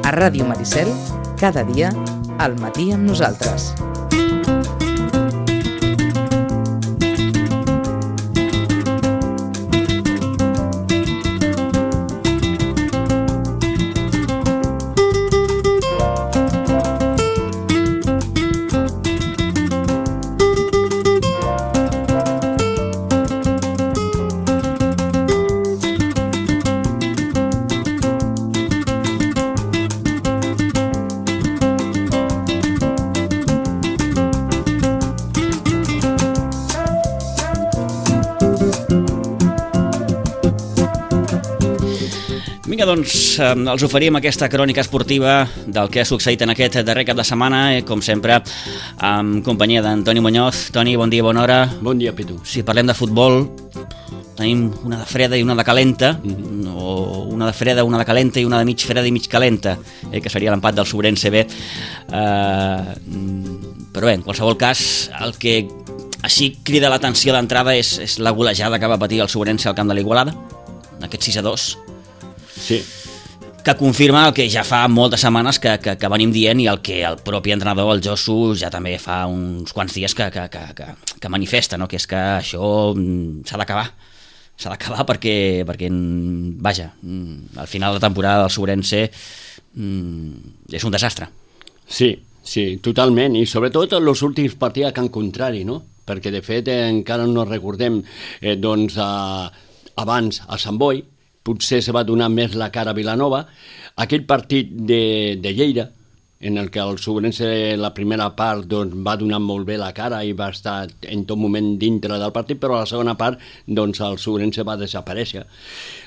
A Ràdio Maricel, cada dia, al matí amb nosaltres. Vinga, doncs, els oferim aquesta crònica esportiva del que ha succeït en aquest darrer cap de setmana, com sempre, amb companyia d'en Toni Muñoz. Toni, bon dia, bona hora. Bon dia, Pitu. Si parlem de futbol, tenim una de freda i una de calenta, o una de freda, una de calenta i una de mig freda i mig calenta, que seria l'empat del Sobrense B. Però bé, en qualsevol cas, el que així crida l'atenció d'entrada és la golejada que va patir el Sobrense al camp de l'Igualada, aquest 6-2. Sí. Que confirma el que ja fa moltes setmanes que venim dient, i el que el propi entrenador, el Josu, ja també fa uns quants dies que manifesta, no? Que és que això s'ha d'acabar perquè vaja, al final de la temporada del Sobrense és un desastre. Sí, totalment, i sobretot els últims partits a Can Contrari, no? Perquè de fet encara no recordem abans a Sant Boi, potser se va donar més la cara a Vilanova, aquell partit de Lleida, en el que el Sobrense la primera part va donar molt bé la cara i va estar en tot moment dintre del partit, però a la segona part el Sobrense va desaparèixer.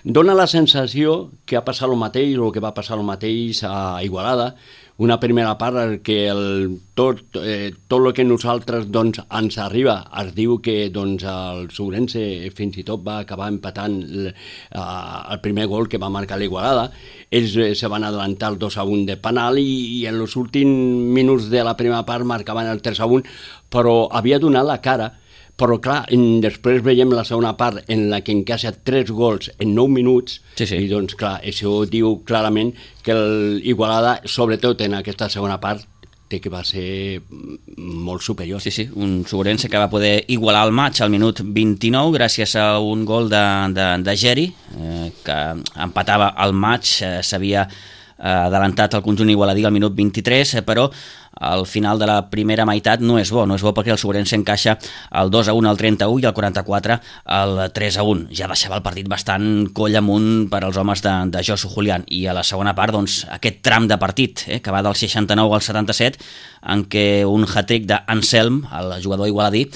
Dóna la sensació que ha passat el mateix, o que va passar el mateix a Igualada, una primera part que tot el que nosaltres ens arriba es diu que el Sobrense fins i tot va acabar empatant el primer gol que va marcar l'Igualada. Ells se van adelantar el 2-1 de penal i en els últims minuts de la primera part marcaven el 3-1, però havia donat la cara. Però clar, després veiem la segona part en la que encaixa 3 gols en 9 minuts, sí. I doncs clar, això diu clarament que l'Igualada, sobretot en aquesta segona part, té que va ser molt superior. Sí, un Sobrense que va poder igualar el maig al minut 29 gràcies a un gol de Geri, que empatava el maig, s'havia adelantat el conjunt igualadí al minut 23, però al final de la primera meitat no és bo perquè el Sobrense encaixa el 2-1 al 31 i el 44 al 3-1. Ja deixava el partit bastant coll amunt per als homes de Josu Julián, i a la segona part aquest tram de partit que va del 69 al 77, en què un hat-trick d'Anselm, el jugador igualadí,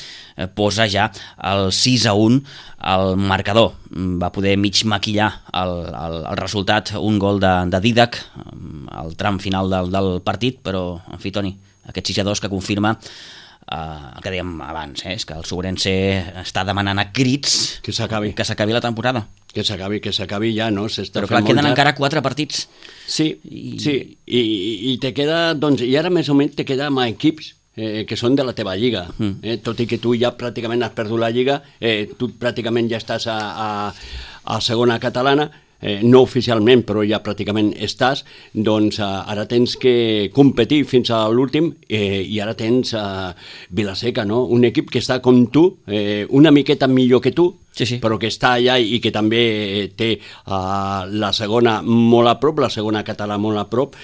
posa ja el 6-1 al marcador. Va poder mig maquillar el resultat, un gol de Didac al tram final del partit, però en fi, Toni, aquest 6-2 que confirma el que dèiem abans, és que el Sobrense està demanant a crits que s'acabi la temporada. Que s'acabi ja, no? Però clar, queden encara 4 partits. Sí, i te queda, i ara més o menys te queda amb equips que són de la teva lliga, tot i que tu ja pràcticament has perdut la lliga, tu pràcticament ja estàs a segona catalana, no oficialment, però ja pràcticament estàs, ara tens que competir fins a l'últim, i ara tens Vilaseca, no? Un equip que està com tu, una miqueta millor que tu, sí. Però que està allà i que també té la segona molt a prop, la segona català molt a prop,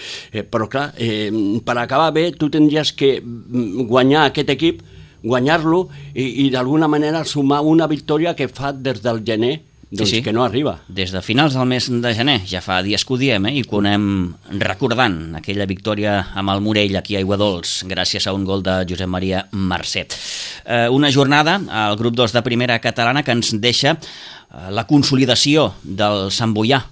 però clar, per acabar bé tu tindries que guanyar aquest equip, guanyar-lo i d'alguna manera sumar una victòria que fa des del gener, sí. Que no arriba. Des de finals del mes de gener, ja fa dies que ho diem, i que ho anem recordant, aquella victòria amb el Morell aquí a Aiguadols, gràcies a un gol de Josep Maria Mercè. Una jornada al grup 2 de primera catalana que ens deixa la consolidació del Sant Boià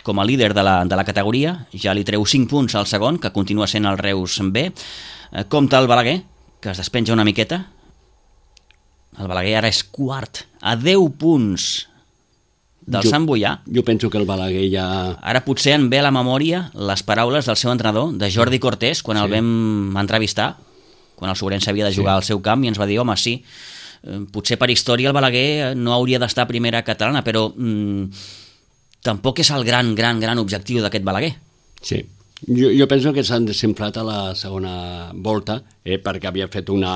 com a líder de la categoria, ja li treu 5 punts al segon, que continua sent el Reus B. Compte el Balaguer, que es despenja una miqueta. El Balaguer ara és quart, a 10 punts del Sant Boià. Jo penso que el Balaguer ja... Ara potser en ve a la memòria les paraules del seu entrenador, de Jordi Cortés, quan el vam entrevistar, quan el Sobrense havia de jugar al seu camp, i ens va dir, home, sí, potser per història el Balaguer no hauria d'estar a primera catalana, però tampoc és el gran objectiu d'aquest Balaguer. Sí, Jo penso que s'han desinflat a la segona volta, perquè havia fet una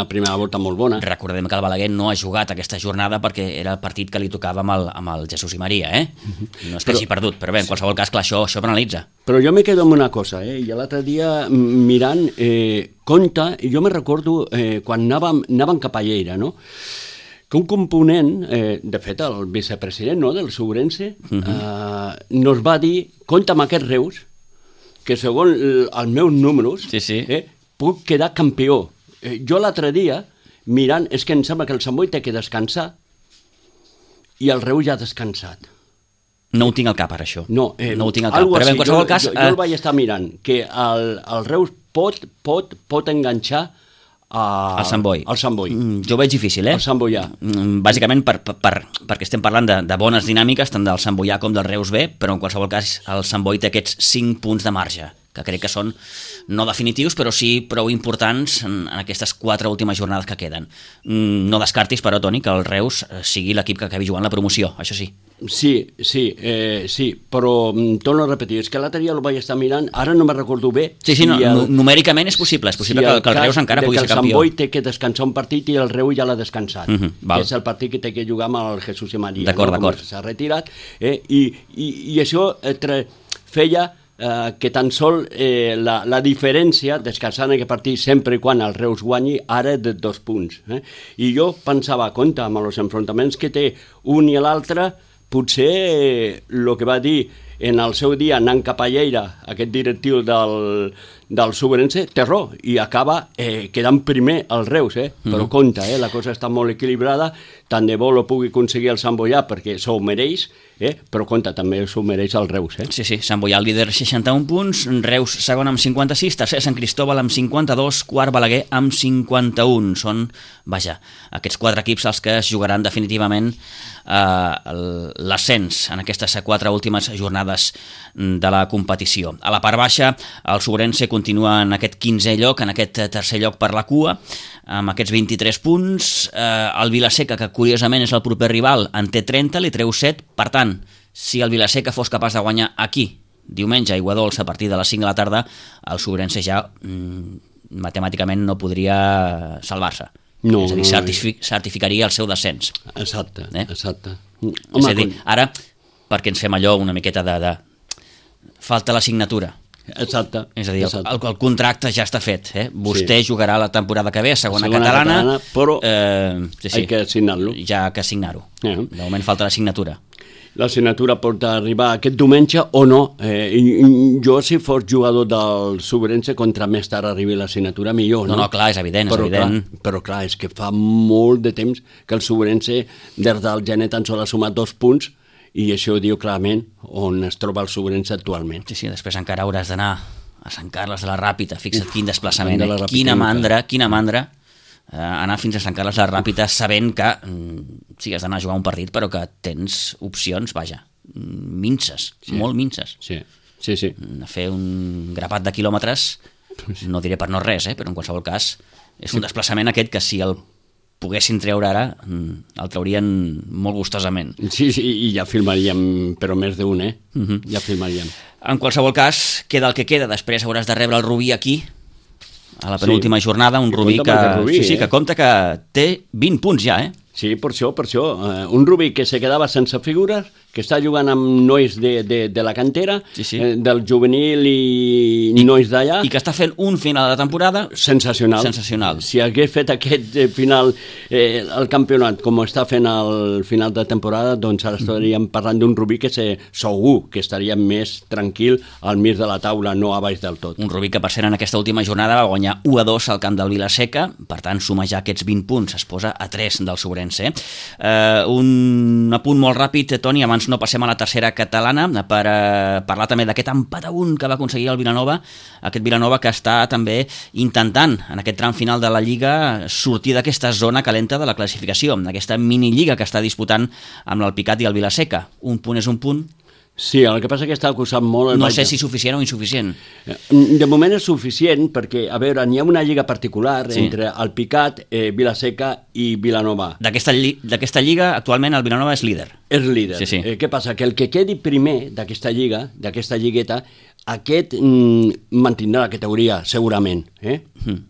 primera volta molt bona. Recordem que el Balaguer no ha jugat aquesta jornada perquè era el partit que li tocava amb el Jesús i Maria, No és que hagi perdut, però bé, en qualsevol cas, clar, això penalitza. Però jo me quedo amb una cosa, i l'altre dia mirant, compte, jo me recordo quan anàvem cap a Lleida, no?, que un component, de fet el vicepresident del Sobrense, nos va dir, compta amb aquests Reus, que segons els meus números puc quedar campió. Jo l'altre dia, mirant, és que em sembla que el Sant Boi té que descansar i el Reus ja ha descansat. No ho tinc al cap, ara, això. No ho tinc al cap. Però bé, en qualsevol cas... Jo el vaig estar mirant, que el Reus pot enganxar al Sant Boi. Jo ho veig difícil, El Sant Boià. Bàsicament perquè estem parlant de bones dinàmiques, tant del Sant Boià com del Reus B, però en qualsevol cas el Sant Boi té aquests 5 punts de marge, que crec que són no definitius, però sí prou importants en aquestes 4 últimes jornades que queden. No descartis, però, Toni, que el Reus sigui l'equip que acabi jugant la promoció, això sí. Sí, però torno a repetir, és que l'altre dia el vaig estar mirant, ara no me'n recordo bé. Numèricament és possible que el Reus encara pugui ser campió. Que el Sant Boi té que descansar un partit i el Reus ja l'ha descansat, que és el partit que té que jugar amb el Jesús i Maria, d'acord. S'ha retirat, i això feia que tan sol la diferència, descansant aquest partit sempre i quan el Reus guanyi, ara de 2 punts. I jo pensava, compte, amb els enfrontaments que té un i l'altre, potser el que va dir en el seu dia anant cap a Lleida aquest directiu del Sobrense té raó i acaba quedant primer el Reus, però compte, la cosa està molt equilibrada, tant de bo lo pugui aconseguir el Sant Boià perquè s'ho mereix, però compte, també s'ho mereix el Reus. Sí, Sant Boià el líder 61 punts, Reus segon amb 56, tercer Sant Cristóbal amb 52, quart Balaguer amb 51. Són, aquests 4 equips els que es jugaran definitivament l'ascens en aquestes 4 últimes jornades de la competició. A la part baixa, el Sobrense continua en aquest 15è lloc, en aquest tercer lloc per la cua, amb aquests 23 punts. El Vilaseca, que curiosament és el proper rival, en té 30, li treu 7. Per tant, si el Vilaseca fos capaç de guanyar aquí, diumenge, a Aiguadols, a partir de les 5 de la tarda, el Sobrense ja matemàticament no podria salvar-se. És a dir, certificaria el seu descens. Exacte. És a dir, ara, perquè ens fem allò una miqueta de falta la signatura. Exacte. És a dir, el contracte ja està fet. Vostè jugarà la temporada que ve a segona catalana, però hay que signar-lo. Ja que signar-ho. De moment falta la signatura. La signatura pot arribar aquest diumenge o no. Jo, si fos jugador del Sobrense, contra més tard arribi la signatura, millor. No, clar, és evident. Però clar, és que fa molt de temps que el Sobrense, des del gener, tan sols ha sumat 2 punts, i això ho diu clarament on es troba el Sobrense actualment. Sí, després encara hauràs d'anar a Sant Carles de la Ràpita. Fixa't quin desplaçament. Quina mandra anar fins a Sant Carles de la Ràpita sabent que sí, has d'anar a jugar un partit, però que tens opcions, minces, molt minces. Sí. A fer un grapat de quilòmetres, no diré per no res, però en qualsevol cas és un desplaçament aquest que si el poguessin treure ara, el traurien molt gustosament. Sí, i ja filmaríem, però més d'un, ja filmaríem. En qualsevol cas, queda el que queda, després hauràs de rebre el Rubí aquí, a la penúltima jornada, un Rubí que compta que té 20 punts ja, Sí, per això. Un Rubí que se quedava sense figures, que està jugant amb nois de la cantera, del juvenil i nois d'allà. I que està fent un final de temporada sensacional. Si hagués fet aquest final, el campionat, com està fent el final de temporada, doncs ara estaríem parlant d'un Rubí que segur que estaria més tranquil al mig de la taula, no a baix del tot. Un Rubí que, per cert, en aquesta última jornada va guanyar 1-2 al camp del Vilaseca, per tant, suma ja aquests 20 punts, es posa a 3 del Sobrense. Un apunt molt ràpid, Toni, abans no passem a la tercera catalana, per parlar també d'aquest empat a 1 que va aconseguir el Vilanova, aquest Vilanova que està també intentant en aquest tram final de la Lliga sortir d'aquesta zona calenta de la classificació, d'aquesta minilliga que està disputant amb l'Alpicat i el Vilaseca. Un punt és un punt. Sí, el que passa és que està acusant molt... No sé si suficient o insuficient. De moment és suficient perquè, a veure, n'hi ha una lliga particular entre Alpicat, Vilaseca i Vilanova. D'aquesta lliga, actualment el Vilanova és líder. És líder. Sí. Què passa? Que el que quedi primer d'aquesta lliga, d'aquesta lligueta, aquest mantindrà la categoria, segurament.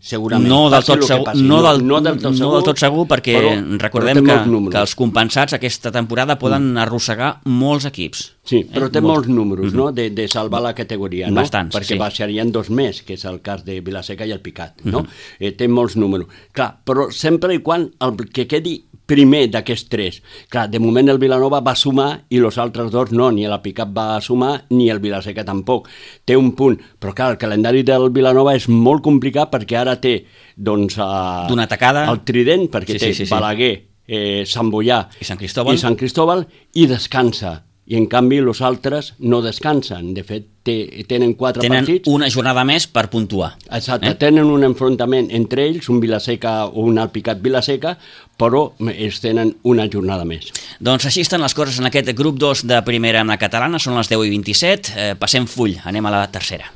Segurament. No del tot segur, no del tot segur, perquè recordem que els compensats aquesta temporada poden arrossegar molts equips. Sí, però té molts números, no?, de salvar la categoria, no? Bastants, perquè baixarien 2 més, que és el cas de Vilaseca i el Picat, no? Té molts números. Clar, però sempre i quan el que quedi primer d'aquests 3. Clar, de moment el Vilanova va sumar i els altres 2 no, ni el Picat va sumar ni el Vilaseca tampoc. Té un punt, però clar, el calendari del Vilanova és molt complicat perquè ara té, doncs, d'una tacada el Trident, perquè té Balaguer, Sant Boià i Sant Cristóbal i descansa. I en canvi els altres no descansen. De fet, tenen 4 partits. Tenen una jornada més per puntuar. Exacte, tenen un enfrontament entre ells, un Vilaseca o un Alpicat Vilaseca, però ells tenen una jornada més. Doncs així estan les coses en aquest grup 2 de primera catalana, són les 10:27, passem full, anem a la tercera.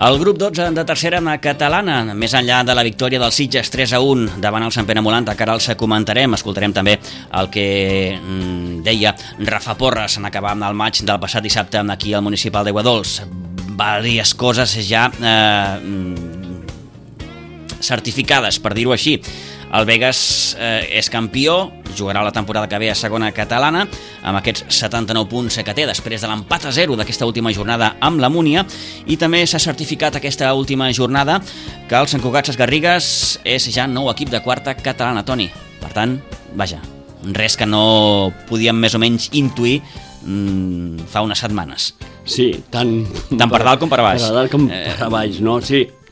El grup 12 de tercera catalana, més enllà de la victòria del Sitges 3-1 davant el Sant Pere Molant, que ara els comentarem, escoltarem també el que deia Rafa Porres en acabar amb el maig del passat dissabte aquí al municipal d'Aiguadols. Vàries coses ja certificades, per dir-ho així. El Begues és campió, jugarà la temporada que ve a segona catalana, amb aquests 79 punts que té després de l'empat a 0 d'aquesta última jornada amb la Múnia, i també s'ha certificat aquesta última jornada que el Sant Cugat Sesgarrigues és ja nou equip de quarta catalana, Toni. Per tant, vaja, res que no podíem més o menys intuir fa unes setmanes. Sí, tant per dalt com per baix. Per dalt com per baix, no?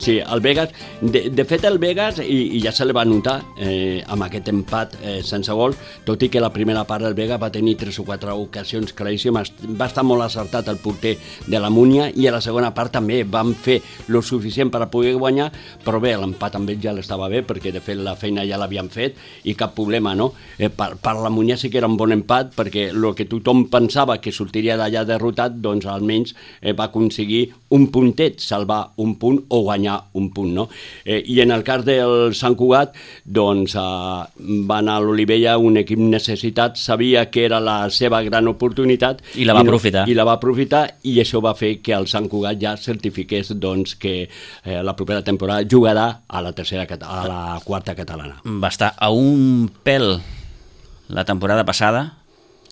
Sí, el Begues, de fet el Begues, i ja se li va notar amb aquest empat sense gol, tot i que la primera part del Begues va tenir 3 o 4 ocasions claríssimes, va estar molt acertat el porter de la Múnia, i a la segona part també van fer lo suficient per a poder guanyar, però bé, l'empat amb ell ja l'estava bé, perquè de fet la feina ja l'havien fet i cap problema, no? Per la Múnia sí que era un bon empat, perquè el que tothom pensava que sortiria d'allà derrotat, doncs almenys va aconseguir un puntet, salvar un punt o guanyar un punt, no? I en el cas del Sant Cugat, doncs va anar a l'Olivella, un equip necessitat, sabia que era la seva gran oportunitat i la va aprofitar. I la va aprofitar, i això va fer que el Sant Cugat ja certifiqués doncs, que la propera temporada jugarà a la quarta catalana. Va estar a un pèl la temporada passada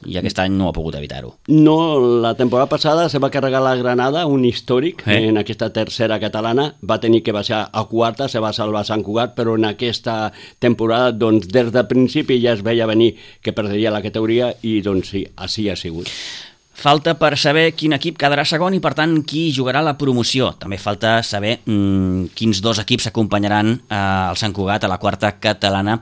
i aquest any no ha pogut evitar-ho. No, la temporada passada se va carregar la Granada, un històric en aquesta tercera catalana, va tenir que baixar a quarta, se va salvar Sant Cugat, però en aquesta temporada, doncs, des del principi ja es veia venir que perdria la categoria, i doncs sí, així ha sigut. Falta per saber quin equip quedarà segon i, per tant, qui jugarà la promoció. També falta saber quins 2 equips acompanyaran el Sant Cugat a la quarta catalana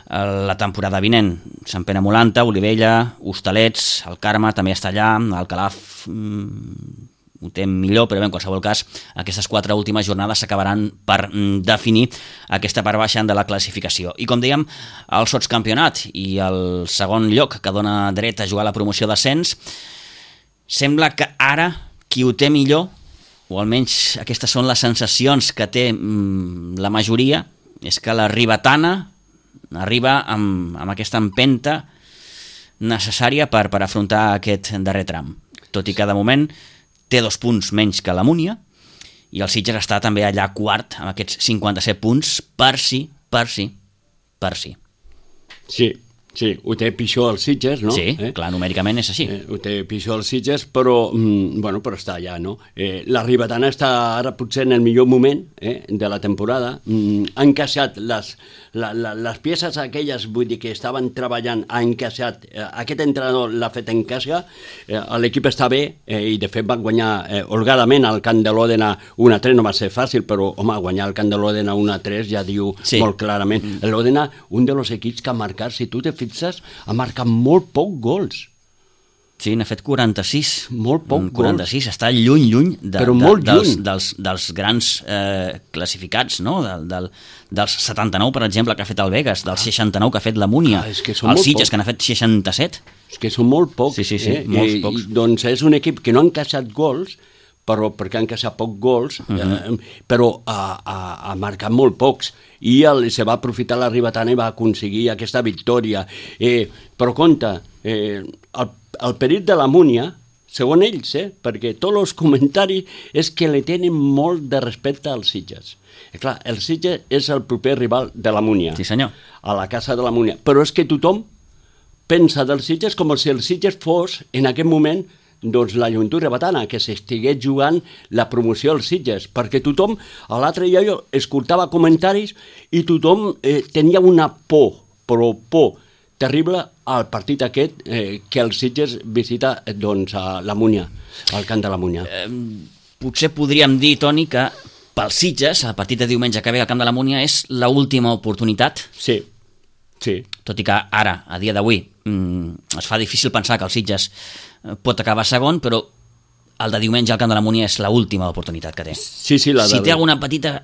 la temporada vinent. Sant Pere Molanta, Olivella, Hostalets, el Carme també està allà, el Calaf ho té millor, però bé, en qualsevol cas aquestes 4 últimes jornades s'acabaran per definir aquesta part baixa de la classificació. I com dèiem, el sotscampionat i el segon lloc que dona dret a jugar la promoció d'ascens, sembla que ara qui ho té millor, o almenys aquestes són les sensacions que té la majoria, és que la ribetana arriba amb aquesta empenta necessària per afrontar aquest darrer tram. Tot i que de moment té 2 punts menys que la Múnia, i el Sitges està també allà quart amb aquests 57 punts per si. Sí, ho té pitjor els Sitges, no? Sí, clar, numèricament és així. Ho té pitjor els Sitges, però però està allà, no? La ribetana està ara potser en el millor moment de la temporada. Ha encaixat les peces aquelles, vull dir, que estaven treballant, ha encaixat, aquest entrenador l'ha fet encaixar, l'equip està bé, i de fet van guanyar holgadament al camp de l'Òdena 1-3, no va ser fàcil, però home, guanyar al camp de l'Òdena 1-3 ja diu molt clarament. L'Òdena, un dels equips que ha marcat, si tu te fixes, ha marcat molt poc gols. Sí, n'ha fet 46. Molt poc 46, està lluny Però molt lluny. dels grans classificats, no? Dels 79, per exemple, que ha fet el Vegas, dels 69 que ha fet la Múnia, és que són els molt Sitges, pocs. que n'ha fet 67. És que són molt pocs. Sí, molts pocs. Doncs és un equip que no ha encaixat gols, però perquè han encaixat pocs gols, però ha marcat molt pocs. I se va aprofitar la Ribetana i va aconseguir aquesta victòria. Però compte, el perill de la Múnia, segons ells, perquè tots els comentaris és que li tenen molt de respecte als Sitges. I clar, el Sitges és el proper rival de la Múnia. Sí, senyor. A la casa de la Múnia. Però és que tothom pensa dels Sitges com si el Sitges fos, en aquest moment, doncs la Joventut Ribetana, que s'estigués jugant la promoció als Sitges, perquè tothom, a l'altre dia jo escoltava comentaris i tothom tenia una por terrible al partit aquest que el Sitges visita doncs, a la Múnia, al camp de la Múnia. Potser podríem dir, Toni, que pels Sitges, el partit de diumenge que ve al camp de la Múnia és l'última oportunitat. Sí. Tot i que ara, a dia d'avui, es fa difícil pensar que el Sitges pot acabar segon, però el de diumenge al camp de la Múnia és l'última oportunitat que té. Sí, si té alguna petita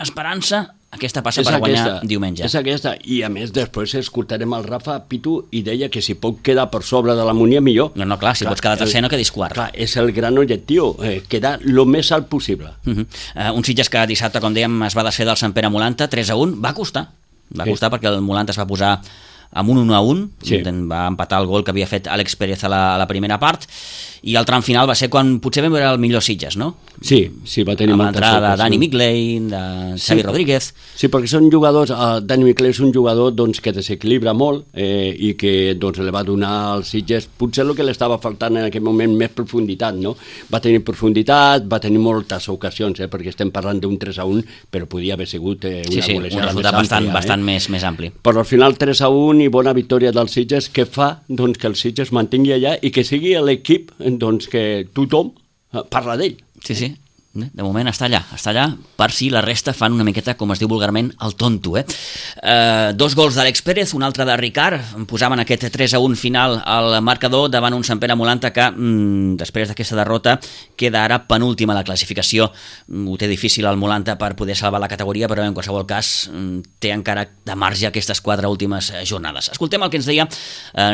esperança, aquesta passa per guanyar diumenge. És aquesta, i a més després escoltarem el Rafa Pitu i deia que si pot quedar per sobre de la Múnia millor. No, clar, si pots quedar tercer no quedis quart. Clar, és el gran objectiu, quedar el més alt possible. Un Sitges que dissabte, com dèiem, es va desfer del Sant Pere Molanta, 3-1, va costar perquè el Molanta es va posar amb un 1-1, va empatar el gol que havia fet Àlex Pérez a la primera part, i el tram final va ser quan potser vam veure el millor Sitges, no? Sí, va tenir molta sort. Amb l'entrada de Dani Migley, de Xavi Rodríguez. Sí, perquè són jugadors, Dani Migley és un jugador doncs, que desequilibra molt i que doncs, li va donar als Sitges potser el que li estava faltant en aquell moment, més profunditat, no? Va tenir profunditat, va tenir moltes ocasions, perquè estem parlant d'un 3-1, però podia haver sigut una golejada un resultat bastant més ampli. Però al final 3-1 i bona victòria dels Sitges que fa doncs, que el Sitges mantingui allà i que sigui l'equip doncs, que tothom parla d'ell. Sí. De moment està allà per si la resta fan una miqueta, com es diu vulgarment, el tonto. 2 gols d'Àlex Pérez, un altre de Ricard, posaven aquest 3-1 final al marcador davant un Sant Pere Molanta que després d'aquesta derrota queda ara penúltima a la classificació. Ho té difícil el Molanta per poder salvar la categoria, però en qualsevol cas té encara de marge aquestes 4 últimes jornades. Escoltem el que ens deia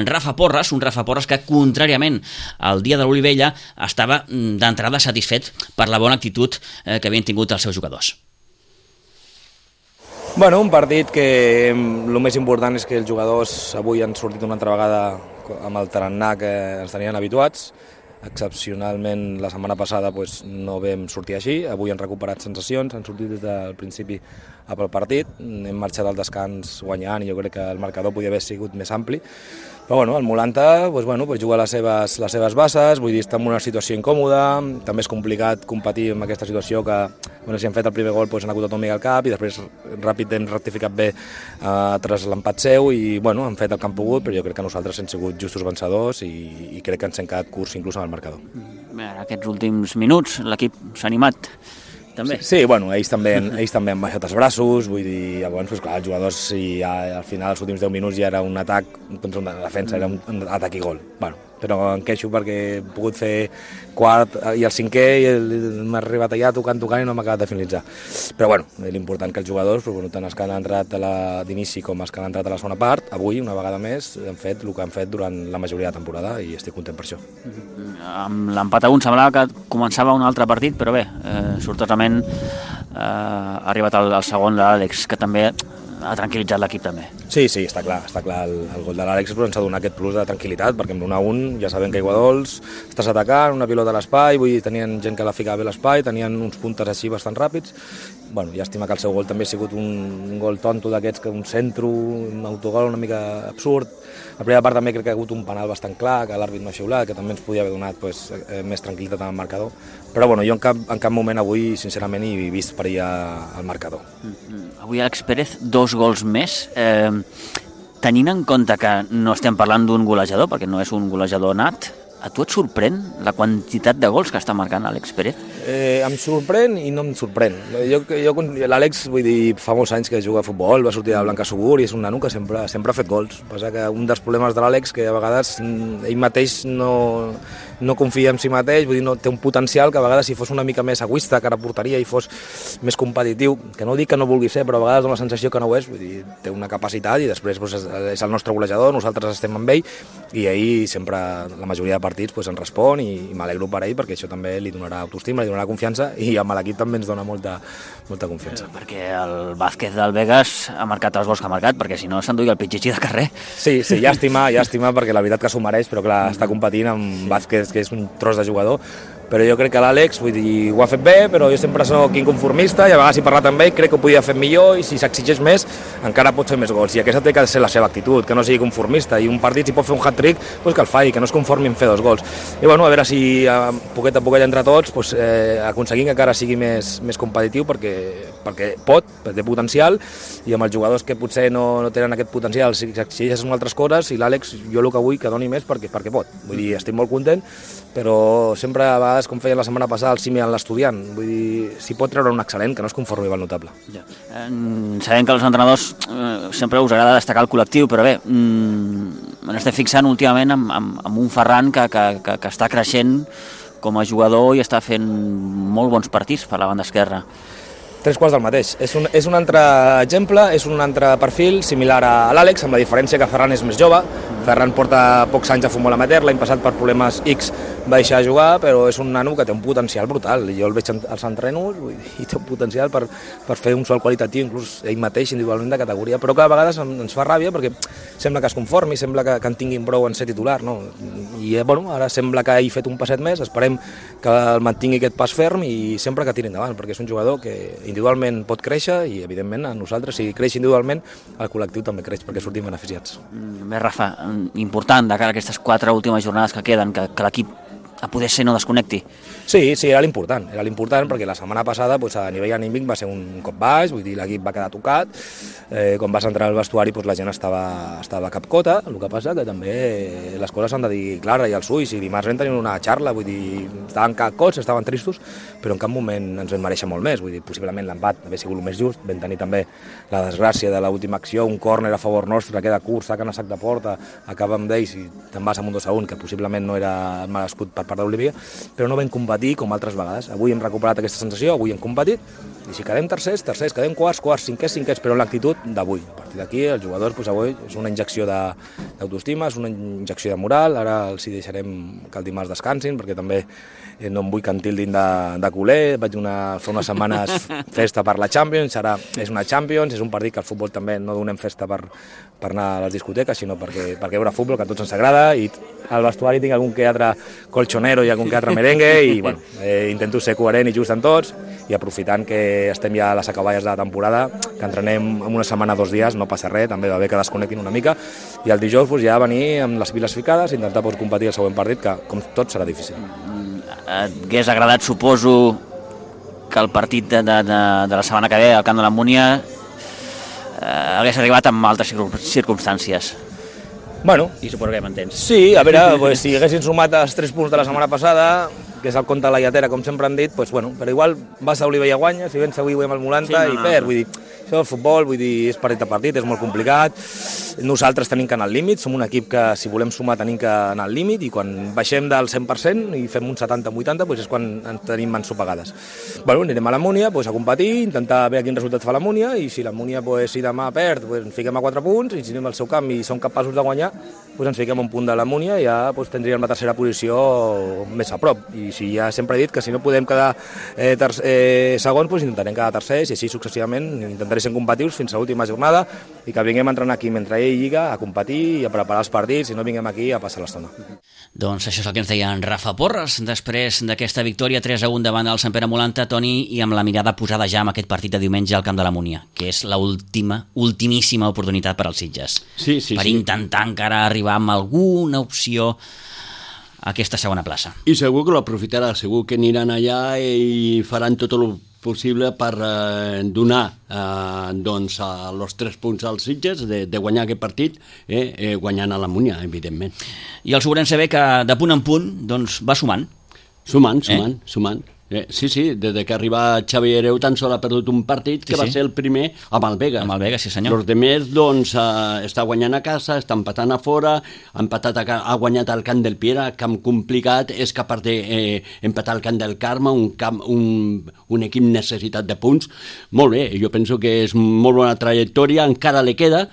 Rafa Porres, un Rafa Porres que, contràriament al dia de l'Olivella, estava d'entrada satisfet per la bona actitud que havien tingut els seus jugadors. Bueno, un partit que el més important és que els jugadors avui han sortit una altra vegada amb el tarannà que ens tenien habituats. Excepcionalment la setmana passada no vam sortir així, avui han recuperat sensacions, han sortit des del principi a pel partit, hem marxat al descans guanyant i jo crec que el marcador podia haver sigut més ampli. Però el Molanta juga les seves bases, vull dir, està en una situació incòmoda, també és complicat competir amb aquesta situació que si han fet el primer gol han acotat un mica al cap i després ràpid hem rectificat bé tras l'empat seu i han fet el que han pogut, però jo crec que nosaltres hem sigut justos vencedors i crec que ens hem quedat curts inclús amb el marcador. Bé, en aquests últims minuts l'equip s'ha animat. També. Sí, ells també han baixat els braços, vull dir, llavors, els jugadors, al final, els últims 10 minuts ja era un atac contra una defensa, era un atac i gol. Però em queixo perquè he pogut fer quart i el cinquè i m'ha arribat allà tocant i no m'ha acabat de finalitzar. Però l'important que els jugadors, tant els que han entrat d'inici com els que han entrat a la segona part, avui, una vegada més, han fet el que han fet durant la majoria de temporada i estic content per això. Amb l'empat a 1 semblava que començava un altre partit, però bé, sortosament ha arribat el segon de l'Àlex, que també ha tranquil·litzat l'equip també. Sí, està clar el gol de l'Àlex ens ha donat aquest plus de tranquil·litat, perquè amb l'1-1 ja sabem que Iguadols estàs atacant, una pilota a l'espai, vull dir, tenien gent que la ficava bé a l'espai, tenien uns puntes així bastant ràpids. Llàstima que el seu gol també ha sigut un gol tonto d'aquests, que un centro, un autogol una mica absurd. La primera part també crec que ha hagut un penal bastant clar, que l'àrbit no ha xiulat, que també ens podia haver donat més tranquil·litat en el marcador. Però jo en cap moment avui, sincerament, he vist perillar el marcador. Avui Àlex Pérez, 2 gols més. Tenint en compte que no estem parlant d'un golejador, perquè no és un golejador nat, A tu et sorprèn la quantitat de gols que està marcant Àlex Pérez? Em sorprèn i no em sorprèn. L'Àlex, vull dir, fa molts anys que juga a futbol, va sortir de Blancassegur i és un nano que sempre ha fet gols. Passa que un dels problemes de l'Àlex que a vegades ell mateix no confia en si mateix, vull dir, no té un potencial que a vegades si fos una mica més egoista, cara a porteria i fos més competitiu, que no dic que no vulgui ser, però a vegades dona la sensació que no ho és, vull dir, té una capacitat i després doncs, és el nostre golejador, nosaltres estem amb ell i ahir sempre la majoria de partits doncs, en respon i m'alegro per ell perquè això també li donarà autoestima, li donarà confiança i amb l'equip també ens dona molta confiança. Perquè el Vázquez del Vegas ha marcat els gols que ha marcat, perquè si no s'enduia el pitxitxi de carrer. Sí, llàstima perquè la veritat que s'ho mereix, però clar, està competint amb Vázquez, que és un tros de jugador, però jo crec que l'Àlex ho ha fet bé, però jo sempre soc inconformista i a vegades he parlat amb ell, crec que ho podia fer millor i si s'exigeix més encara pot fer més gols i aquesta té que ser la seva actitud, que no sigui conformista i un partit si pot fer un hat-trick doncs que el faci, que no es conformi en fer 2 gols i bueno, a veure si poquet a poquet entre tots doncs, aconseguim que encara sigui més competitiu perquè pot, perquè té potencial i amb els jugadors que potser no tenen aquest potencial si s'exigeixen altres coses i l'Àlex jo el que vull que doni més perquè pot, vull dir, estic molt content però sempre a vegades com feien la setmana passada el Simi en l'estudiant, vull dir, si pot treure un excel·lent, que no es conformi amb el notable. Ja. Sabem que els entrenadors sempre us agrada destacar el col·lectiu, però bé, m'estic fixant últimament amb un Ferran que està creixent com a jugador i està fent molt bons partits per la banda esquerra. 3 quarts del mateix. És un altre exemple, és un altre perfil similar a l'Àlex, amb la diferència que Ferran és més jove. Ferran porta pocs anys a futbol amateur, l'any passat per problemes X va deixar de jugar, però és un nano que té un potencial brutal. Jo el veig als entrenos i té un potencial per fer un salt qualitatiu, inclús ell mateix individualment de categoria, però que a vegades ens fa ràbia perquè sembla que es conformi, sembla que en tinguin prou en ser titular, no? I bueno, ara sembla que ell ha fet un passet més, esperem que el mantingui aquest pas ferm i sempre que tiri endavant, perquè és un jugador que individualment pot créixer i evidentment a nosaltres, si creix individualment, el col·lectiu també creix perquè sortim beneficiats. Bé, Rafa, important de cara a aquestes 4 últimes jornades que queden, que l'equip a poder ser no desconnecti. Sí, era l'important perquè la setmana passada a nivell anímic va ser un cop baix, vull dir, l'equip va quedar tocat, quan vas entrar al vestuari la gent estava capcota, el que passa que també les coses s'han de dir clara i als ulls, i dimarts vam tenir una xarra, vull dir, estaven cacots, estaven tristos, però en cap moment ens vam mereixer molt més, vull dir, possiblement l'empat hauria sigut el més just, vam tenir també la desgràcia de l'última acció, un córner a favor nostre, queda curt, saquen a sac de porta, acaba amb ells i te'n vas amb un 2-1, que possiblement no era merescut per part d'Olivia, però no vam competir com altres vegades. Avui hem recuperat aquesta sensació, avui hem competit, i si quedem tercers, quedem quarts, cinquers, però en l'actitud d'avui. A partir d'aquí, els jugadors, avui és una injecció d'autoestima, és una injecció de moral, ara els hi deixarem que el dimarts descansin, perquè també no em vull que en tildin de culer, vaig fer unes setmanes festa per la Champions, ara és una Champions, és un partit que al futbol també no donem festa per anar a les discoteques, sinó perquè veure futbol, que a tots ens agrada, i al vestuari tinc algun que altre colchonero i algun que altre merengue, i bueno, intento ser coherent i just en tots, i aprofitant que estem ja a les acaballes de la temporada, que entrenem en una setmana 2 dies, no passa res, també va bé que desconnectin una mica, i el dijous ja venir amb les piles ficades, intentar competir el següent partit, que com tot serà difícil. T'hagués agradat, suposo, que el partit de la setmana que ve al Camp de la Múnia hagués arribat amb altres circumstàncies. Bueno, i suposo que m'entens. Sí, a veure, si haguessin sumat els 3 punts de la setmana passada, que és el compte de la lletera, com sempre han dit, bueno, però igual vas a Olivella i guanya, si vens avui amb el Molanta i perd, vull dir, això és futbol, vull dir, és partit a partit, és molt complicat, nosaltres tenim que anar al límit, som un equip que si volem sumar tenim que anar al límit i quan baixem del 100% i fem un 70-80 és quan ens tenim mans sopegades. Bueno, anirem a la Múnia a competir, intentar veure quin resultat fa la Múnia i si la Múnia si demà perd ens fiquem a 4 punts i si anem al seu camp i som capaços de guanyar ens fiquem a un punt de la Múnia i ja tindríem la tercera posició més a prop i si ja sempre he dit que si no podem quedar segons intentarem quedar tercers i així successivament intentarem ser competitius fins a l'última jornada i que vinguem a entrenar aquí mentre ell lliga, a competir i a preparar els partits i no vinguem aquí a passar l'estona. Doncs això és el que ens deia en Rafa Porres després d'aquesta victòria 3-1 davant del Sant Pere Molanta, Toni, i amb la mirada posada ja en aquest partit de diumenge al Camp de la Múnia, que és l'ultimíssima oportunitat per als Sitges. Per intentar encara arribar amb alguna opció a aquesta segona plaça. I segur que l'aprofitarà, segur que aniran allà i faran tot el possible per donar doncs, els 3 punts als Sitges de guanyar aquest partit, guanyant a la Múnia, evidentment. I el Sobrense B, que de punt en punt doncs, va sumant. Sumant. Sí, des que arriba Xavi Hereu tan sol ha perdut un partit que va ser el primer amb el Vega. Amb el Vega, sí senyor. Els demés, doncs, està guanyant a casa, està empatant a fora, ha guanyat al Camp del Piera, camp complicat, és capaç d'empatar al Camp del Carme, un equip necessitat de punts. Molt bé, jo penso que és molt bona trajectòria, encara li queda,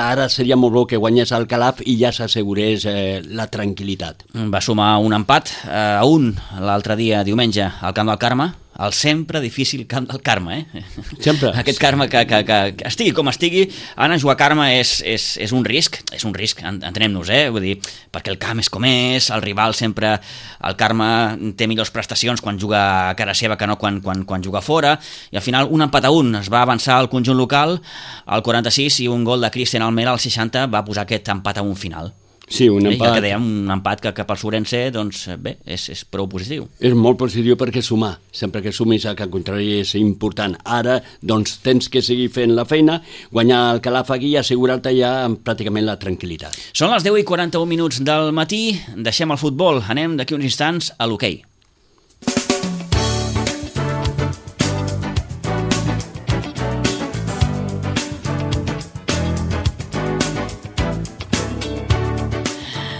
ara seria molt bo que guanyés el Calaf i ja s'assegurés la tranquil·litat. Va sumar un empat a 1 l'altre dia, diumenge, al Camp del Carme, el sempre difícil Camp del Carme, Sempre. Aquest Carme que estigui com estigui, anar a jugar a Carme és un risc, entenem-nos, vull dir, perquè el camp és com és, el rival sempre, el Carme té millors prestacions quan juga a cara seva que no quan juga fora, i al final un empat a 1 es va avançar al conjunt local, al 46, i un gol de Cristian Almera al 60 va posar aquest empat a 1 final. Sí, un empat. I el que dèiem, un empat que pel Sobrense, doncs bé, és prou positiu. És molt positiu perquè sumar, sempre que sumis que al contrari és important. Ara, doncs, tens que seguir fent la feina, guanyar el Calaf aquí i assegurar-te ja pràcticament la tranquil·litat. Són les 10:41 del matí, deixem el futbol, anem d'aquí uns instants a l'hoquei.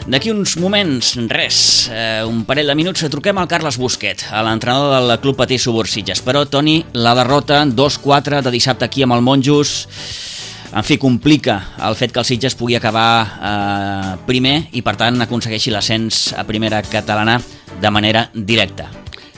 D'aquí uns moments, un parell de minuts, truquem al Carles Busquet, a l'entrenador del Club Patí Subursitges. Però, Toni, la derrota 2-4 de dissabte aquí amb el Monjos, en fi, complica el fet que el Sitges pugui acabar primer i, per tant, aconsegueixi l'ascens a primera catalana de manera directa.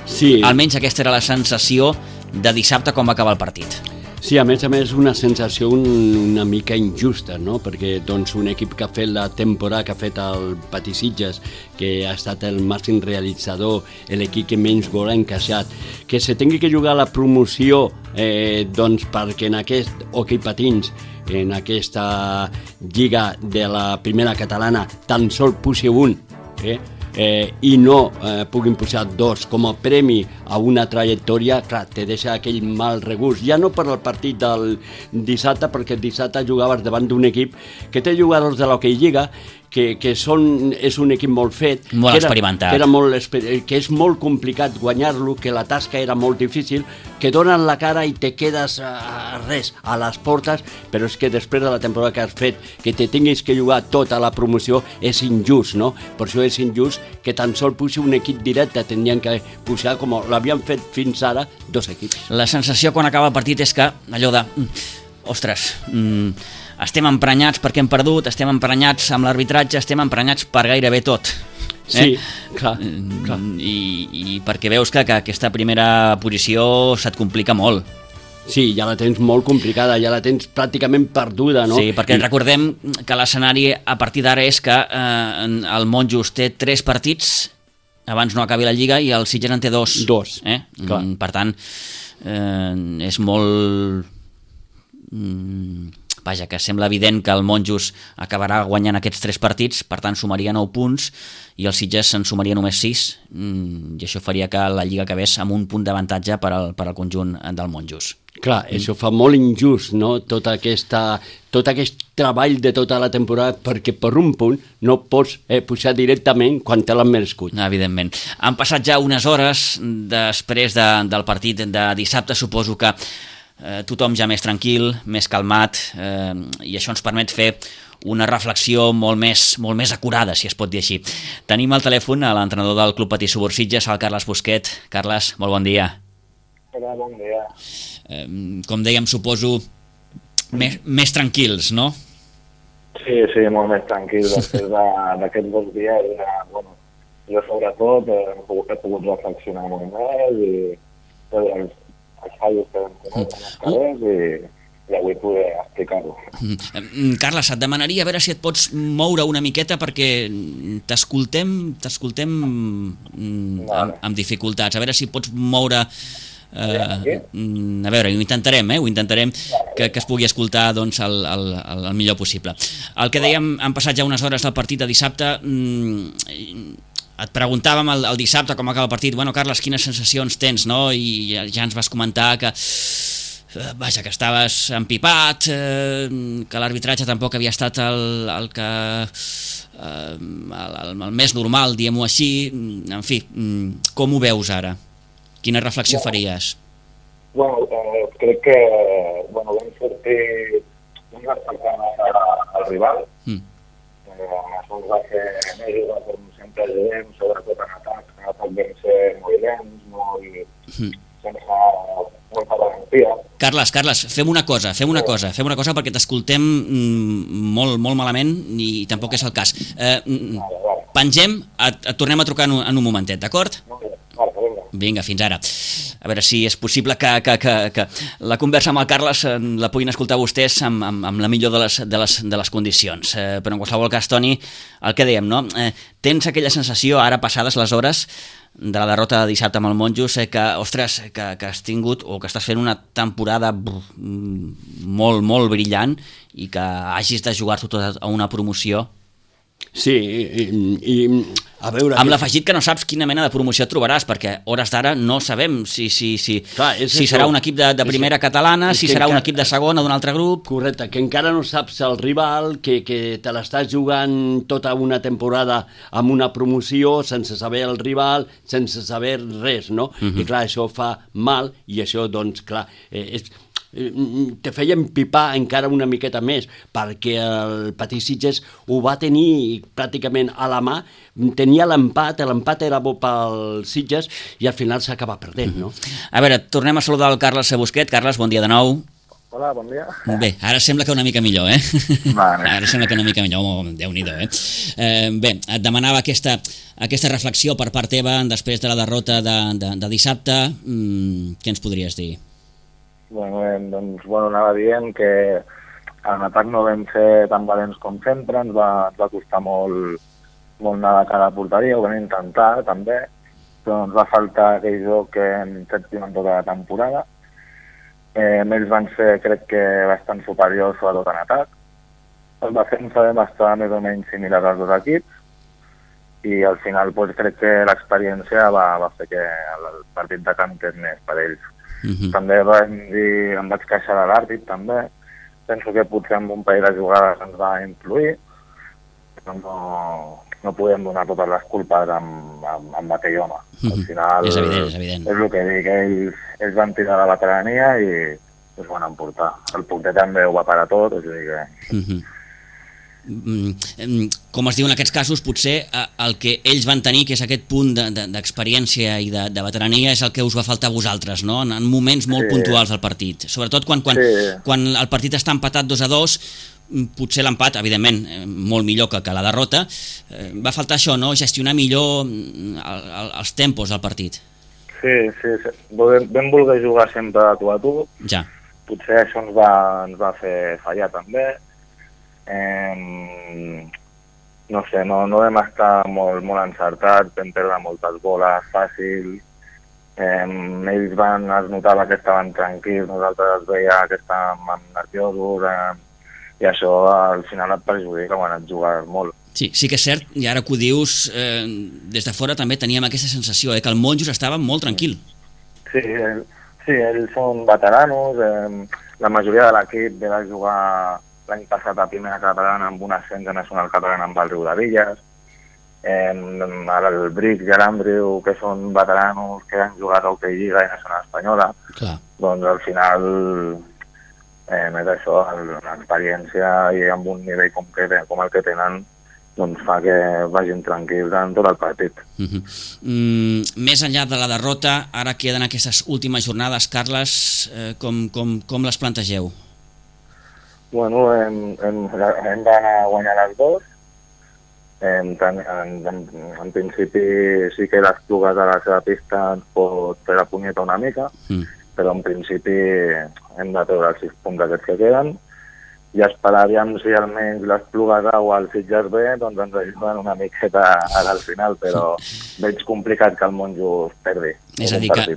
Sí. Almenys aquesta era la sensació de dissabte quan va acabar el partit. Sí, a més, una sensació una mica injusta, no? Perquè doncs, un equip que ha fet la temporada que ha fet el Patí Sitges, que ha estat el màxim realitzador, l'equip que menys gol ha encaixat, que se tingui que jugar la promoció doncs, perquè en aquest hoquei patins, en aquesta lliga de la primera catalana, tan sol pugi un, i no puguin pujar 2 com a premi a una trajectòria, clar, te deixa aquell mal regust, ja no per al partit del dissabte, perquè el dissabte jugaves davant d'un equip que té jugadors de l'Hockey Lliga, que és un equip molt fet, molt experimentat, que és molt complicat guanyar-lo, que la tasca era molt difícil, que donen la cara i te quedes a les portes, però és que després de la temporada que has fet, que te tinguis que jugar tota la promoció, és injust, no? Per això és injust que tan sol pugi un equip directe, tindrien que pujar com l'havien fet fins ara 2 equips. La sensació quan acaba el partit és que allò de ostres, estem emprenyats perquè hem perdut, estem emprenyats amb l'arbitratge, estem emprenyats per gairebé tot. Sí, clar. I perquè veus que aquesta primera posició se't complica molt. Sí, ja la tens molt complicada, ja la tens pràcticament perduda, no? Sí, perquè recordem que l'escenari a partir d'ara és que el Monjos té 3 partits abans no acabi la Lliga i el Sitges en té 2. Per tant, és molt... Vaja, que sembla evident que el Monjos acabarà guanyant aquests 3 partits, per tant sumaria 9 punts i el Sitges en sumaria només 6, i això faria que la Lliga acabés amb un punt d'avantatge per al conjunt del Monjos. Clar, això fa molt injust, no? Tot aquest treball de tota la temporada, perquè per un punt no pots pujar directament quan te l'han merescut. Evidentment. Han passat ja unes hores després del partit de dissabte, suposo que tothom ja més tranquil, més calmat, i això ens permet fer una reflexió molt més acurada, si es pot dir així. Tenim al telèfon a l'entrenador del Club Patí Subursitges, el Carles Busquet. Carles, molt bon dia. Hola, bon dia. Com dèiem, suposo, més tranquils, no? Sí, molt més tranquil després d'aquests 2 dies. Jo sobretot he pogut reflexionar molt més i els fallos que vam tenir en els carrers i avui poder explicar-ho. Carles, et demanaria a veure si et pots moure una miqueta perquè t'escoltem amb dificultats. A veure si pots moure... a veure, ho intentarem que es pugui escoltar doncs, el millor possible. El que dèiem, han passat ja unes hores del partit de dissabte. Et preguntàvem el dissabte com acaba el partit, bueno, Carles, quines sensacions tens, no? I ja ens vas comentar que vaja, que estaves empipat, que l'arbitratge tampoc havia estat el que el més normal, diguem-ho així. En fi, com ho veus ara? Quina reflexió faries? Bueno, crec que vam sortir al rival. Això ens va fer més, com sempre diem, sobretot en atac vam ser molt lents, sense molta garantia. Carles, fem una cosa perquè t'escoltem molt malament i tampoc és el cas. Pengem, et tornem a trucar en un momentet, d'acord? Vinga, fins ara. A veure si és possible que la conversa amb el Carles la puguin escoltar vostès amb la millor de les condicions. Però en qualsevol cas, Toni, el que dèiem, no? Tens aquella sensació, ara passades les hores de la derrota de dissabte amb el Monjos, que, ostres, que has tingut o que estàs fent una temporada molt brillant i que hagis de jugar-t'ho tot a una promoció? Sí, i a veure... Amb l'afegit que no saps quina mena de promoció et trobaràs, perquè hores d'ara no sabem si serà un equip de primera catalana, si serà un equip de segona d'un altre grup... Correcte, que encara no saps el rival, que te l'estàs jugant tota una temporada amb una promoció, sense saber el rival, sense saber res, no? I clar, això fa mal, i això, doncs, clar, te feia empipar encara una miqueta més, perquè el Patí Sitges ho va tenir pràcticament a la mà, tenia l'empat era bo pel Sitges i al final s'acaba perdent, no? A veure, tornem a saludar el Carles Busquet. Carles, bon dia de nou. Hola, bon dia. Bé, ara sembla que una mica millor, eh? Vale. Ara sembla que una mica millor, Déu-n'hi-do, eh? Bé, et demanava aquesta reflexió per part teva després de la derrota de dissabte. Què ens podries dir? Doncs, anava dient que en atac no vam ser tan valents com sempre, ens va costar molt anar de cara a porteria, ho vam intentar també, però ens va faltar aquell joc que hem fet durant tota la temporada. Ells van ser, crec que, bastant superiors, sobretot en atac. El defensa vam estar més o menys similar als dos equips i al final crec que l'experiència va fer que el partit de camp és més per ells. També em vaig queixar de l'àrbit, també. Penso que potser amb un parell de jugades ens va influir, però no podem donar totes les culpes amb aquell home. Al final és evident. És el que dic, ells van tirar la veterania i es van emportar. El porter també ho va parar tot, o sigui que... Com es diu en aquests casos, potser el que ells van tenir, que és aquest punt d'experiència i de veterania, és el que us va faltar a vosaltres, no? En moments molt puntuals del partit, sobretot quan el partit està empatat 2-2, potser l'empat, evidentment, molt millor que la derrota, va faltar això, no? Gestionar millor els tempos del partit. Sí, vam voler jugar sempre a tu, ja. Potser això ens va fer fallar també. No sé, no vam estar molt encertats, vam perdre moltes boles fàcils, ells es notava que estaven tranquils, nosaltres es veia que estàvem nerviosos, i això al final et perjudica quan et jugues molt. Sí que és cert, i ara que ho dius, des de fora també teníem aquesta sensació, que el Monjos estava molt tranquil. Sí, ells són veteranos, la majoria de l'equip ve de jugar l'any passat a primera catalana amb un ascens a nacional catalana amb el Riudevilles, el Bric i l'Andriu, que són veteranos que han jugat a Hockey Lliga i Nacional Espanyola. Clar. Doncs al final és això, l'experiència i amb un nivell com el que tenen doncs fa que vagin tranquils en tot el partit. Més enllà de la derrota, ara queden aquestes últimes jornades, Carles, com les plantegeu? Bueno, hem d'anar a guanyar les dos. En principi sí que les Plugues de la seva pista ens pot fer la punyeta una mica, però en principi hem de treure els 6 punts aquests que queden i esperaríem si almenys les Plugues A o el Sitges B doncs ens ajuden una miqueta al final, però veig complicat que el Monjos perdi. És a dir que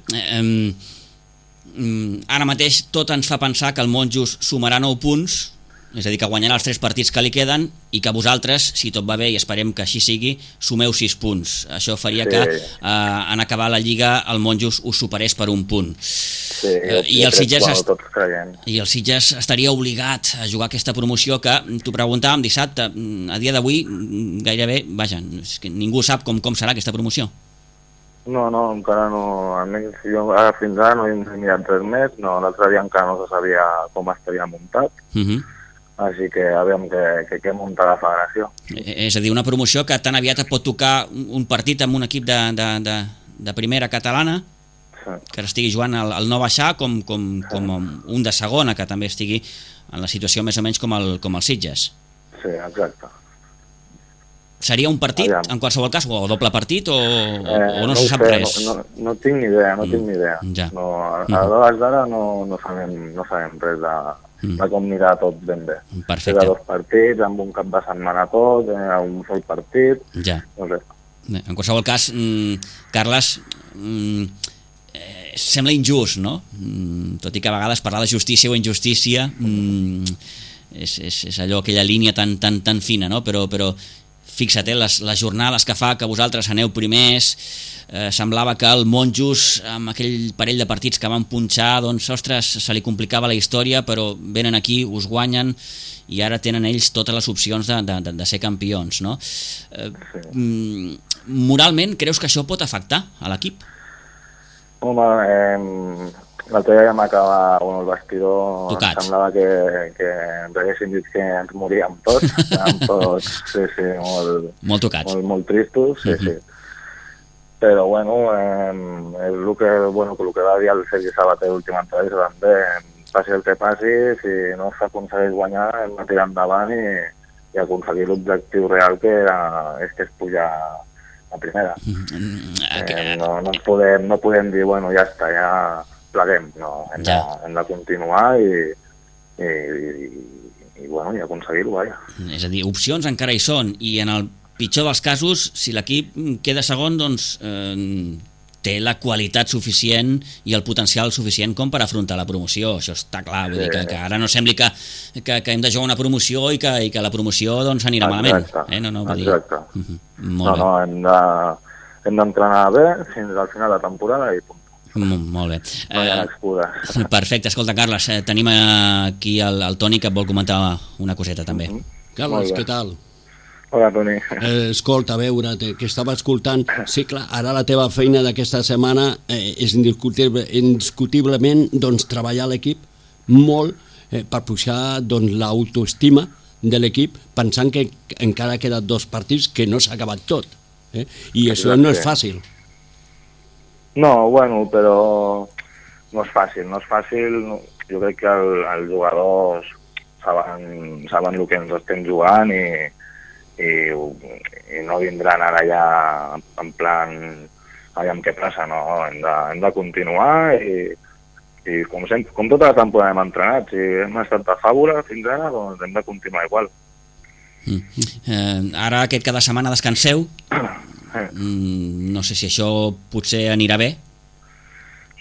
ara mateix tot ens fa pensar que el Monjos sumarà 9 punts és a dir, que guanyarà els 3 partits que li queden i que vosaltres, si tot va bé i esperem que així sigui, sumeu 6 punts. Això faria que en acabar la Lliga el Monjos us superés per un punt. Sí, I el Sitges tots creiem. I el Sitges estaria obligat a jugar aquesta promoció que t'ho preguntàvem dissabte, a dia d'avui gairebé, vaja, és que ningú sap com serà aquesta promoció. No, encara no, almenys jo fins ara no he mirat res més, l'altre dia encara no se sabia com estaria muntat, així que aviam què munta la federació. És a dir, una promoció que tan aviat et pot tocar un partit amb un equip de primera catalana, que estigui jugant al no baixar, com un de segona, que també estigui en la situació més o menys com el Sitges. Sí, exacte. Seria un partit, en qualsevol cas, o doble partit, o no se sap res? No tinc ni idea, Ja. A l'hora d'ara no sabem res de com mirar tot ben bé. Perfecte. Era 2 partits, amb un cap de setmana tot, un sol partit, ja. No sé. En qualsevol cas, Carles, sembla injust, no? Tot i que a vegades parlar de justícia o injustícia és allò, aquella línia tan fina, no? Però fixa't, les jornades que fa que vosaltres aneu primers, semblava que el Monjos, amb aquell parell de partits que van punxar, doncs, ostres, se li complicava la història, però venen aquí, us guanyen, i ara tenen ells totes les opcions de ser campions, no? Moralment, creus que això pot afectar a l'equip? Home, l'altre dia ja m'acaba el vestidor, tocats. Semblava que ens haguessin dit que ens moríem tots, molt tocats. Molt tristos, sí. Però bueno, és el que va dir el Sergi Sabater l'última entrevista també, passi el que passi, si no s'aconsegueix guanyar hem de tirar endavant i aconseguir l'objectiu real que és pujar a primera. No podem dir, bueno, ja està, ja pleguem, no, hem de continuar i aconseguir-ho, vaja. És a dir, opcions encara hi són, i en el pitjor dels casos, si l'equip queda segon, doncs té la qualitat suficient i el potencial suficient com per afrontar la promoció, això està clar, vull dir que ara no sembli que hem de jugar una promoció i que la promoció doncs anirà malament. Exacte. Hem d'entrenar bé fins al final de la temporada i punt. Molt bé. No hi ha excuses. Perfecte, escolta, Carles, tenim aquí el Toni que et vol comentar una coseta també. Carles, què tal? Hola, Toni. Escolta, a veure, que estava escoltant. Sí, clar, ara la teva feina d'aquesta setmana és indiscutiblement treballar l'equip molt per pujar l'autoestima de l'equip, pensant que encara ha quedat 2 partits que no s'ha acabat tot. I això no és fàcil. No, però no és fàcil. Jo crec que els jugadors saben el que ens estem jugant i no vindran ara ja en plan aviam què passa, no, hem de continuar i com tota la temporada hem entrenat, si hem estat de fàbula fins ara, doncs hem de continuar igual. Ara aquest cada setmana descanseu, no sé si això potser anirà bé.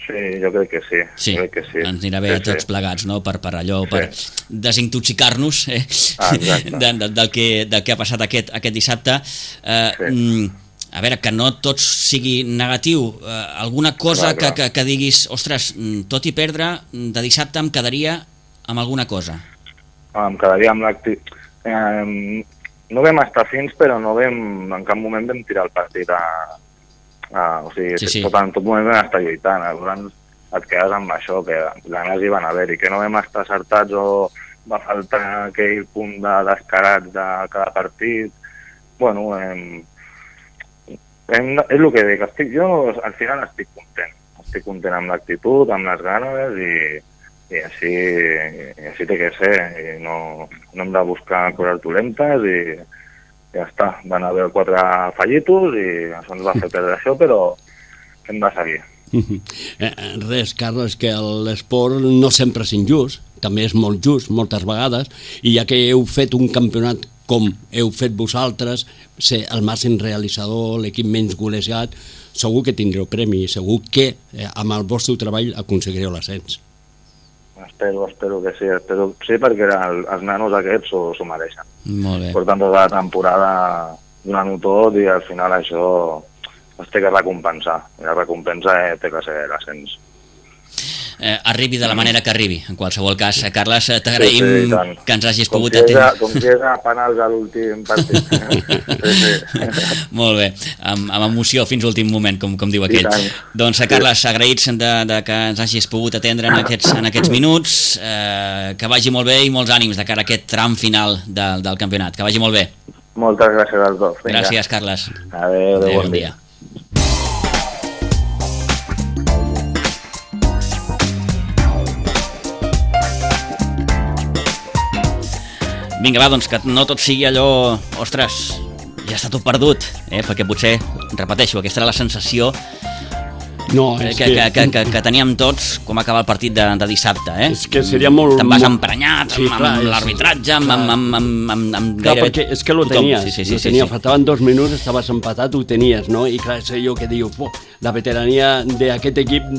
Sí, jo crec que sí. Sí, ens anirà bé a tots plegats, no? Per allò, per desintoxicar-nos del que ha passat aquest dissabte. A veure, que no tot sigui negatiu. Alguna cosa que diguis, ostres, tot i perdre, de dissabte em quedaria amb alguna cosa. Em quedaria amb l'actitud. No vam estar fins, però en cap moment vam tirar el partit o sigui, en tot moment vam estar lluitant, llavors et quedes amb això, que ganes hi van haver-hi, que no vam estar acertats o va faltar aquell punt de descarats de cada partit. Bueno, és el que dic, jo al final estic content amb l'actitud, amb les ganes i així té que ser, i no hem de buscar coses dolentes i ja està, van haver 4 fallitos i això ens va fer perdre això, però hem de seguir. Res, Carles, que l'esport no sempre és injust, també és molt just moltes vegades, i ja que heu fet un campionat com heu fet vosaltres, ser el màxim realitzador, l'equip menys golejat, segur que tindreu premi, segur que amb el vostre treball aconseguireu l'ascens. Espero que sí. Sí, perquè els nanos aquests s'ho mereixen. Molt bé. Portant tota la temporada donant-ho tot i al final això es té que recompensar. I la recompensa té que ser l'ascens. Arribi de la manera que arribi. En qualsevol cas, Carles, t'agraïm que ens hagis pogut atendre. Com si és a penals a l'últim partit. Sí. Molt bé, amb emoció fins a l'últim moment, com diu aquell. Doncs, Carles, agraïts de que ens hagis pogut atendre en aquests minuts, que vagi molt bé i molts ànims de cara a aquest tram final del campionat. Que vagi molt bé. Moltes gràcies als dos. Vinga. Gràcies, Carles. Adéu, bon dia. Vinga, va, doncs que no tot sigui allò, ostres, ja està tot perdut, perquè potser, repeteixo, aquesta era la sensació que teníem tots com acaba el partit de dissabte. És que seria molt... Te'n vas emprenyat amb l'arbitratge, amb clar, perquè és que lo tenies, faltaven 2 minuts, estaves empatat, ho tenies, no? I clar, és allò que diu, la veterania d'aquest equip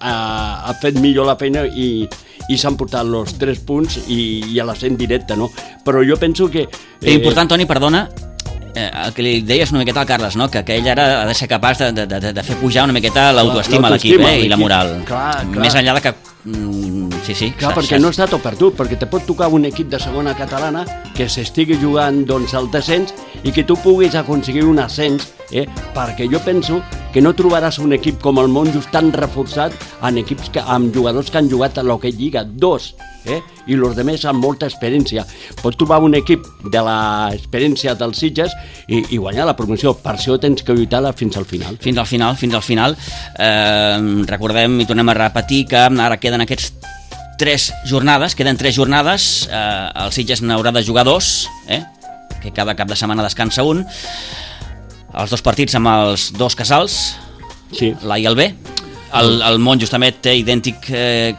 ha fet millor la feina i s'han portat els 3 punts i a l'ascens directe, no? Però jo penso que... Important, Toni, perdona, el que li deies una miqueta al Carles, no? Que ell ara ha de ser capaç de fer pujar una miqueta l'autoestima a l'equip i la moral. Clar. Més enllà de que... Sí. Clar, perquè no està tot perdut, perquè te pot tocar un equip de segona catalana que s'estigui jugant al descens i que tu puguis aconseguir un ascens, perquè jo penso que no trobaràs un equip com el Monjos tan reforçat amb jugadors que han jugat a l'Hockey Lliga 2, i els altres amb molta experiència. Pots trobar un equip de l'experiència dels Sitges i guanyar la promoció. Per això tens que lluitar fins al final. Fins al final. Recordem i tornem a repetir que ara queden aquests 3 jornades, el Sitges n'haurà de jugar 2, que cada cap de setmana descansa un, els 2 partits amb els 2 casals, l'A i el B. El Monjos també té idèntic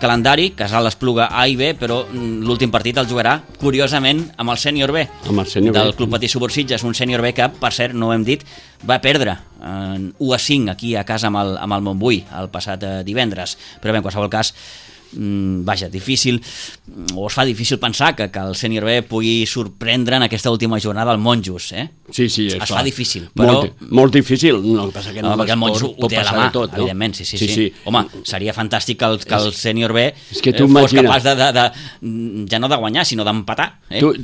calendari, Casal Espluga A i B, però l'últim partit el jugarà, curiosament, amb el sènior B, del Club Patí Subur Sitges, un sènior B que, per cert, no ho hem dit, va perdre 1-5 aquí a casa amb el Montbui el passat divendres. Però bé, en qualsevol cas, difícil, o es fa difícil pensar que el sènior B pugui sorprendre en aquesta última jornada el Monjos, Sí, es fa difícil, però... Molt difícil, no, que passa que perquè el Monjos ho té a la mà, evidentment, sí. Home, seria fantàstic que el sènior B fos capaç ja no de guanyar, sinó d'empatar.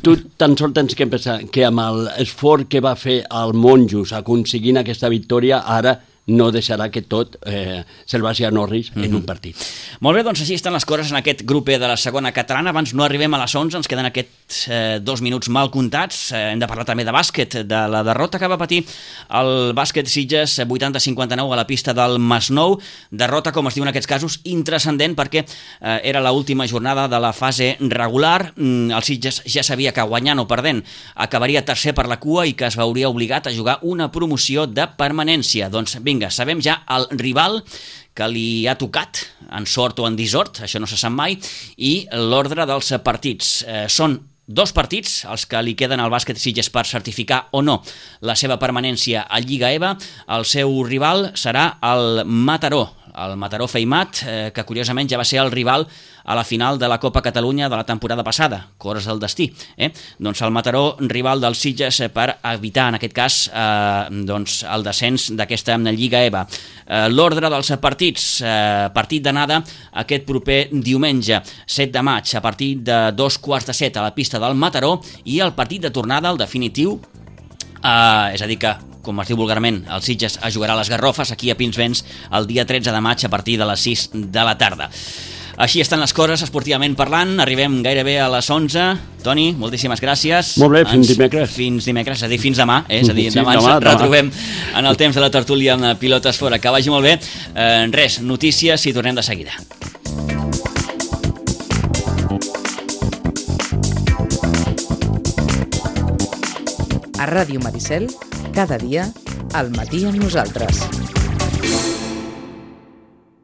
Tu tan sols tens que pensar que amb l'esforç que va fer el Monjos aconseguint aquesta victòria, ara no deixarà que tot se'l vagi a Norris en un partit. Molt bé, doncs així estan les coses en aquest grup de la segona catalana. Abans no arribem a les 11, ens queden aquests 2 minuts mal comptats. Hem de parlar també de bàsquet, de la derrota que va patir el bàsquet Sitges 80-59 a la pista del Masnou. Derrota, com es diu en aquests casos, intranscendent, perquè era l'última jornada de la fase regular. El Sitges ja sabia que guanyant o perdent acabaria tercer per la cua i que es veuria obligat a jugar una promoció de permanència. Doncs vinga, sabem ja el rival que li ha tocat, en sort o en dissort, això no se sap mai, i l'ordre dels partits. Són 2 partits els que li queden al bàsquet Sitges per certificar o no la seva permanència a Lliga EVA. El seu rival serà el Mataró Feimat, que curiosament ja va ser el rival a la final de la Copa Catalunya de la temporada passada, cores del destí. Doncs el Mataró, rival dels Sitges per evitar, en aquest cas, el descens d'aquesta Lliga EVA. L'ordre dels partits, partit d'anada aquest proper diumenge, 7 de maig, a partir de 2:15 a la pista del Mataró, i el partit de tornada, el definitiu, és a dir que, com es diu vulgarment, el Sitges jugarà a les Garrofes, aquí a Pinsbens, el dia 13 de maig a partir de les 6 de la tarda. Així estan les coses esportivament parlant, arribem gairebé a les 11. Toni, moltíssimes gràcies. Molt bé, fins dimecres. Fins dimecres, és a dir, fins demà. És a dir, demà ens retrobem en el temps de la tertúlia amb Pilotes Fora. Que vagi molt bé. Res, notícies i tornem de seguida. A Ràdio Maricel, cada dia, al matí amb nosaltres.